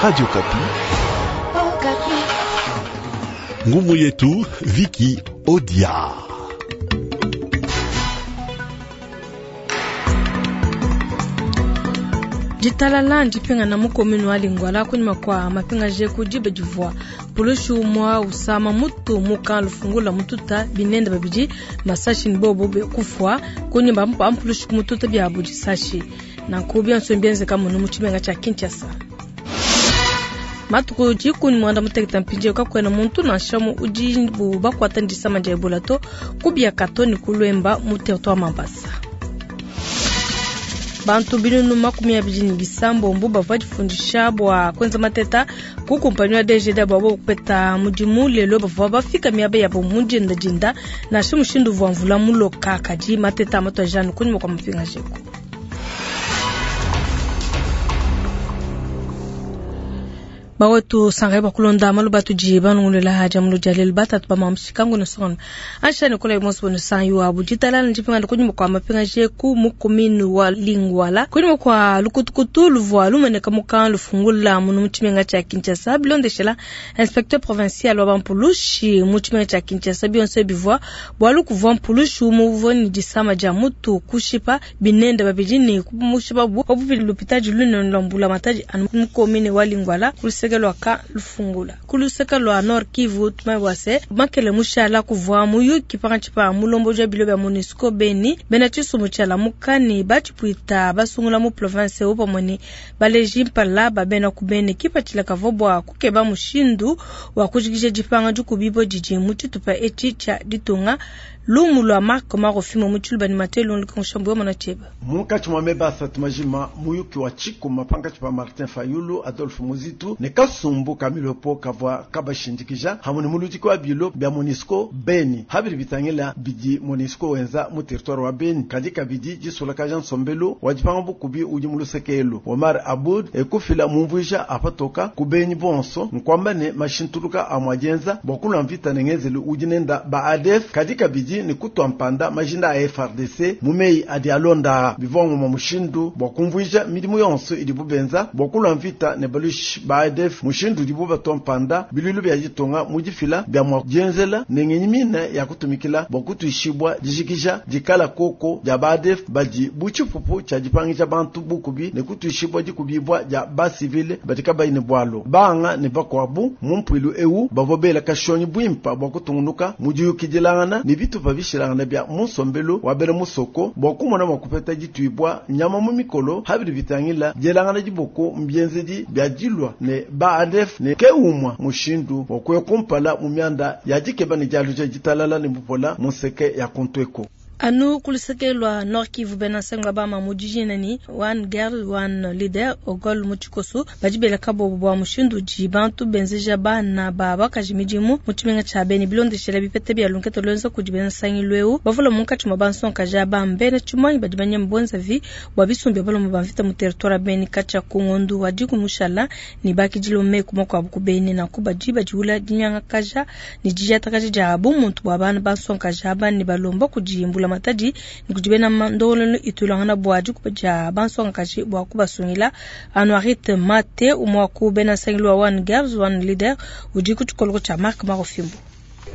Radio Kapi. Ngumu yetu Viki Odia. Ditalala ndipingana mu komunu wa Lingwala kunyima kua mapingaje ku diba divua pulushi umua usama mutu muka lufungula mututa binende babidi masashi ni bobo kufua kunyima ampulushi kumututa biabu disashi nanku bionso mbienzeka munu mu tshimenga tshia Kinshasa. Matuku dikumi mwanda mutekete mpindieu kakuena muntu nansha mu udi bu bakuata ndisama dia Ebola to kubia katoni kulwemba mu territoire Mambasa. Bantu binunu 26 bavua difundisha bua kuenza mateta ku kumpanyi wa DGD bua kupeta mudimu lelo bavua bafika miaba yabo mu dinda dinda nansha mushindu uvua mvula muloka kadi mateta amatu kunyima kua mapingajeko. Bawetu sangai bakulonda malu batudi banungulela haja mulu jalel batatu ba mamshikango no son ansha ne kola mosi bono san yu abu ditalala ndipinga kunyima kwa mapinga ku mukominu wa Lingwala kunyima kwa lukutukutu luvua lumeneka mukan lufungula munu mu tshimenga tshia Kinshasa bilondeshela inspecteur provincial wa bampulushi mu tshimenga tshia Kinshasa bionso bivua bwalu kuvua mpulushi umuvua ni disama dia mutu kushipa binende babidi ni kumushipa bu obupili lupitaji lunene lwa mbula mataji anu mukomine wa Lingwala kuluseke lwa ka lufungula kuluseke lwa Nord Kivu tumabwase makele mushala kuvua muyuki pakantshi pa mulombo ja bilo bya MONUSCO Beni bena tshisomo tshiala mukani batshipuita basungula mu province upamwe baleji mpala babena ku Beni kipatshila kavua bua kukeba mushindu wa kujikija dipanga dikubibo didi mu tshitupa etshi tshia ditunga lumu lwa Marc Marofimo mu tshiluba ni Mathieu Lunkonshambu wa mona tsheba. Munkatshi mua meba asatu majima muyuki wa tshikuma pankatshi pa Martin Fayulu Adolphe Muzitu ne kasumbu ka milopo kavua kabashindikija hamwe ne muludiki wa bilo bya MONUSCO Beni habiri bitangila bidi MONUSCO wenza mu territoire wa Beni kadi kabidi disulakaja nsombelu wa dipanga bukubi udi mu lusekelu Omar Aboud ekufila mumvuija apatoka ku Beni bonso nkwamba ne mashintuluka amwa dienza bua kulwa mvita ne ngenzelu udi nenda ba ADF kadi kabidi ne kutwa mpanda majinda a FRDC mu meyi adi alonda bivongo mwa mushindu bua kumvuija midimu yonso idibu benza bua kulwa mvita ne balushi ba ADF mushindu udibu batwa mpanda bilulu bya ditunga mu difila bya mwa dienzela ne ngenyi mine ya kutumikila bua kutuishibwa dijikija dikala koko dia ba ADF badi bu tshipupu tshia dipangisha bantu bukubi ne kutuishibwa dikubibwa dia ba civile badi kabayi ne bwalu banga ne bakwabu mu mpuilu eu bavua bela kashonyi bwimpa bua kutungunuka mu diyukidilangana ne bitupa bishilangana bya musombelu wa bela musoko bua kumona mua kupeta dituibwa nyama mu mikolo habiri bitangila dielangana diboko mbienzedi bya dilwa ne ba ADF ne ke umwa mushindu wa kuya kumpala mu mianda ya dikeba ne dialuja ditalala ne bupola mu nseke ya kuntweko. Anu kuluseke lwa Nord Kivu bena nsenga ba mamudijina ni one girl one leader ogol muchikoso bajibela kabo bwa mushindu di bantu benzeja bana ba bakaji midimu mu tshimenga tsha Beni bilondeshela bipete bya lunketo lwenza kudi bena sangilweu bavula munkatshi mwa bansonka ja bambene tshimanyi badi banya mbonza vi bwa bisumbi balomo bamvita mu territoire Beni kacha kungondu wadi kumushala ni bakidilo meku makwabu ku Beni na kubadi badiula dinyanga kaja ni dijatakaja ja bumuntu bwa bana bansonka ja bani balomba kujimbula matadi ni kujibena mandololo itulangana bwa dikuba bansonga kaji bwa kubasungila Anuarit Mate umwa ku bena sangilwa one girls one leader udi ku tshikoloko tsha Marc Marofimbo.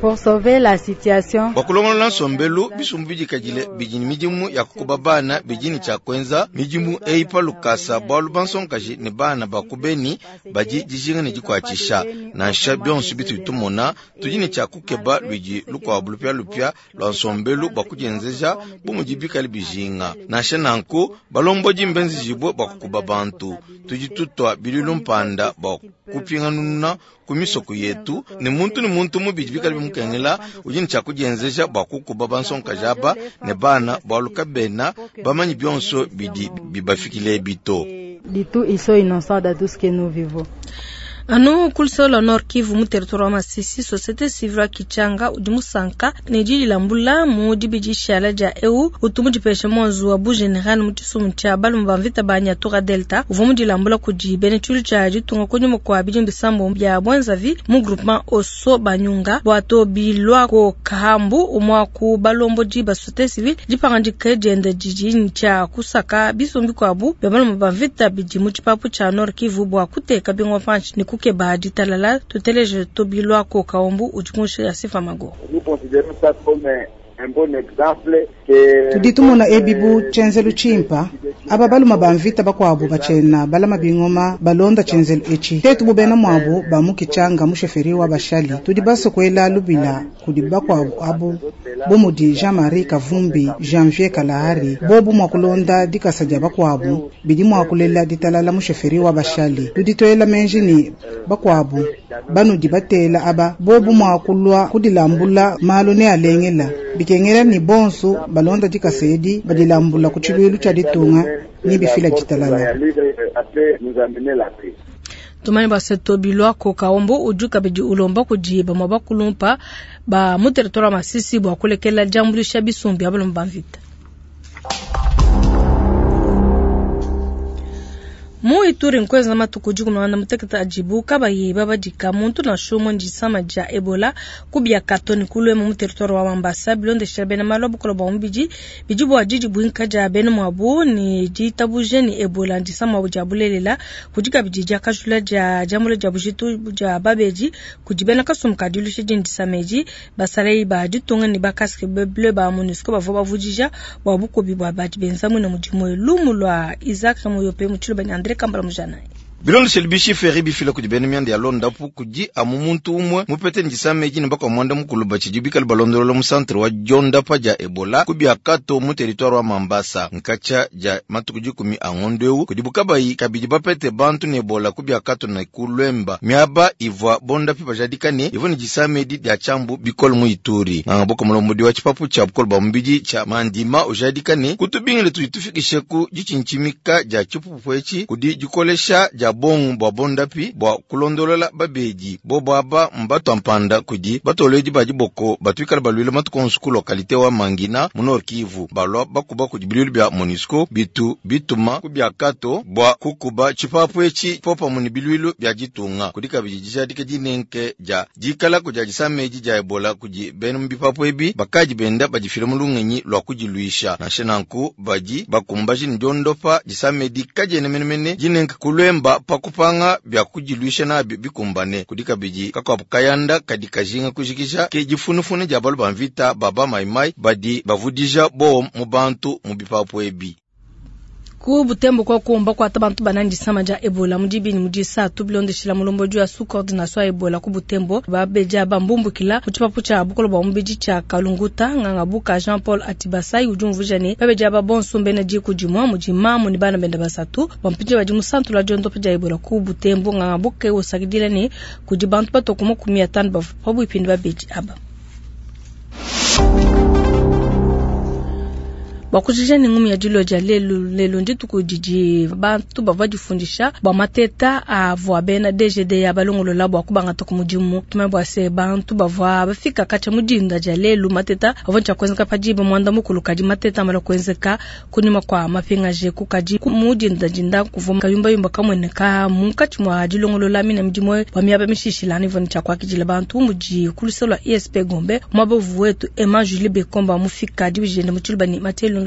Pour sauver la situation. Bakulongolola nsombelu bisumbu bidikadile bidi ne midimu ya kukuba bana bidi ne tshia kuenza midimu eyi pa lukasa bualu bansongaji ne bana ba ku Beni badi dijinga ne dikuatshisha nansha bionso bitudi tumona tudi ne tshia kukeba luidi lukuabu lupialupia lua nsombelu bua kudienzeja bu mudi bikale bijinga nansha nanku balombodi mbenzejibue bua kukuba bantu tudi tutua bilulu mpanda bua kupinganununa ku misoko yetu ne muntu mubidi bikale bimukengela udi ne tshia kudienzeja bua kukuba bansongaji aba ne bana bualu kabena bamanyi bionso bidi bibafikile bito. Du tout, ils sont innocents dans tout ce que nous vivons. Anu ku luseke lua Nord Kivu mu territoire wa Masisi, societe civile wa Kitshanga udi musanka ne didilambula mu dibidi dishala dia eu utu mudipesha muanzu wa bu general mu tshisumbu tshia balume ba mvita ba Nyatura Delta uvua mudilambula kudi bena tshilu tshia ditunga kunyima kua bidimu bisambo bia buenzavi mu groupement Oso Banyunga bua Tobilwako Kahambu umua ku balombodi ba societe civile. Dipangadika diende didi ne tshia kusaka bisumbu bikuabu bia balume ba mvita bidi mu tshipapu tshia Nord Kivu bua kuteka bingoma panshi ne kukeba ditalala. Tuteleje Tobilwako Kahambu udi ku ya Sifa Mago. Tudi tumona ebi bu tshenzelu tshimpa aba baluma ba mvita bakuabu batshena balama bingoma balonda tshenzelu etshi tetu bubena muabu ba mu Kitshanga mu chefferie wa Bashali tudi basokwela lubila kudi bakuabu abu bu mudi Jean-Marie Kavumbi Janvier Kalahari bobu mua kulonda dikasa dia bakuabu bidi mua kulela ditalala mu chefferie wa Bashali tudi twela menji ni bakuabu banudi batela aba bobu mua kulua kudilambula malu ne alengela bikengela ni bonso balonda dikasa edi badilambula ku tshiluilu tshia ditunga ni bifila ditalala. Tumanye baseto Bilwako Kaombo udi kabidi ulomba kudi bamwe bakulumpa ba mu territoire wa Masisi bua kulekela diambuluisha bisumbu bia balume ba mvita. Mu Ituri nkweza matuku 18 mutekete ajibu kabayi babadika muntu na shumwe ndisama dia Ebola kubia katoni kulwema mu territoire wa Mambasa bilondesha bena malu bukola bwa mubidi bidi bua didi buinka dia bena mwabu ni ditabuje ni Ebola ndisama dia bulelela kudi kabidi dia kajula dia diamula dia bujitu dia babeji kudi bena kasumbu dilushe dindisameji basalei ba ditunga ni ba casque bleu ba MONUSCO bavua bavudija bua bukubi bua badi benza mwina mudimu lumu lwa Isaac Moyope mutshilu bani Andre Kambala Mujana. Bilondeshele bishiferi bifila kudi bena mianda ya londapu kudi amu muntu umwe mupete ndisameji ne bakamwanda mukulu batshidi bikale balondolola mu centre wa diondapa dia Ebola kubiakato mu territoire wa Mambasa nkatsha dia matuku 10 a ngondo eu kudi bukabayi kabidi bapete bantu ne Ebola kubiakato na kulwemba miaba ivua bondapi bajadikane ivua ne disamedi dia tshiambu bikole mu Ituri. Nganga boko mulombodi wa tshipapu tshia bukole bwa mubidi tshia Mandima ujadikane kutubingile tudi tufikishe ku ditshinchimika dia tshipupu etshi kudi dikolesha dia bongo bwa bondapi bwa kulondolola babedi bobo aba mbatwampanda kudi batoledi badi boko batwikala balwile matukonsu ku lokalite wa Mangina mu Nord Kivu balwa bakuba kudi bilulu bya MONUSCO bitu bituma ku biakato bwa kukuba tshipapu etshi popa muni bilulu bya ditunga kudi kabidi dijadika dinenke dia dikala kudia disameji dia Ebola kudi bena mu bipapu ebi bakaji benda badifila mu lungenyi lwa kudilwisha nansha nanku badi bakumbaji ndiondopa disamedi kadiene menemene dinenke kulwemba pakupanga bya kudilwisha nabi bikumbane kudi kabidi kakwabu kayanda kadi kajinga kujikija ke difunufunu dia balu ba mvita baba maimai badi bavudija bo mu bantu mu bipapu ebi. Ku Butembo kwa kuomba kwa bantu banandi sama dia Ebola mudibini mudisa tubilondeshela mulombo ya sous coordination ya Ebola ku Butembo babeja bambumbukila mu tshipapu tshia bukolo bwa mubidi tshia Kalunguta nganga buka Jean Paul Atibasai udi umvujane babeja ba bonso mbena diku dimwa mudi mamu ni bana benda basatu bampinje badi mu centre la diondopa dia Ebola ku Butembo nganga buke osakidila ne kudi bantu batokoma 50 bavu pabuipindi babeji aba. Bakujija ni ngumi ya dilo dia lelu lelu ndituku didi bantu bavua difundisha bua mateta avua bena DGD ya balongolola bua kubangata ku mudimu tumanye bua se bantu bavua bafika katshia mu dinda dia lelu mateta avua ntshia kuenzeka padiba muanda mukulu kadi mateta amala kuenzeka kunyima kua mapingaje kukadi mu dinda dinda kuvua kayumbayumba kamueneka munkatshi mua dilongolola mina midimu bua miaba mishishilana ivua ntshia kuakidila bantu mudi ku luseke lua ISP Gombe muaba wetu Emma Julie Bekomba mufika dibijende mu tshiluba ni Mathieu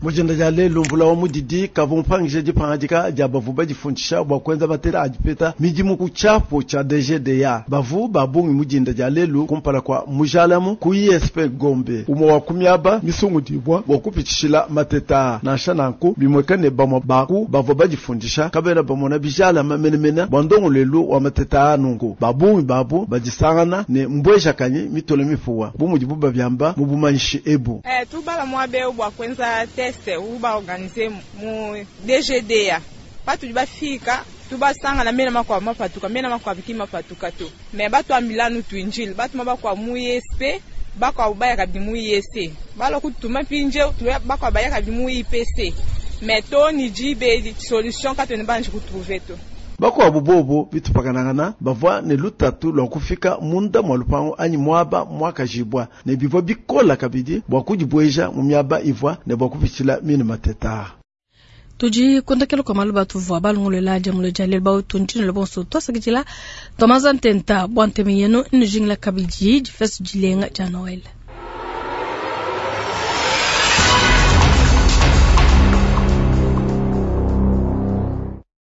Mujenda dia lelu mvula wa mudidi kavua mupangije dipangadika dia bavu badifundisha bua kuenza mateta adipeta midimu ku tshiapu tshia DGDA bavu babungi mujinda dia lelu kumpala kwa mujalamu ku ISP Gombe umwe wa kumiaba misungudibwa bua kupitshishila mateta nansha nanku bimwekane bamwe baku bavua badifundisha kabena bamona bijalama menemene bua ndongolelu wa mateta anungu babungi babu badisangana ne mbwejakanyi mitole mipuwa bu mudibu babiamba mu bumanyishi ebu. Tubala mwabe bua kuenza test uba organiser mu DGDA patu bafika tubasanga na mena makwa mapatuka mena makwa biki mapatuka to mais batu ambilanu tuinjil batu mabakwa mu ISP bakwa baya kabi mu ISC balo kutuma pinje bakwa baya kabi mu IPC mais to ni jibe solution katone banji kutrouver to. Bakuabu bobu bitupakanangana bavua ne lutatu lua kufika munda mua lupangu anyi muaba muakajibua, ne bivua bikola kabidi bua kudibueja mu miaba ivua ne bua kupitshila mine mateta. Tudi kundekelo kwa malu batuvua balongolola dia dia lelu bautu ntshino bonso twasakidila twamaza ntenta bua ntemi yenu nujingila kabidi difesto dilenga dia Noël.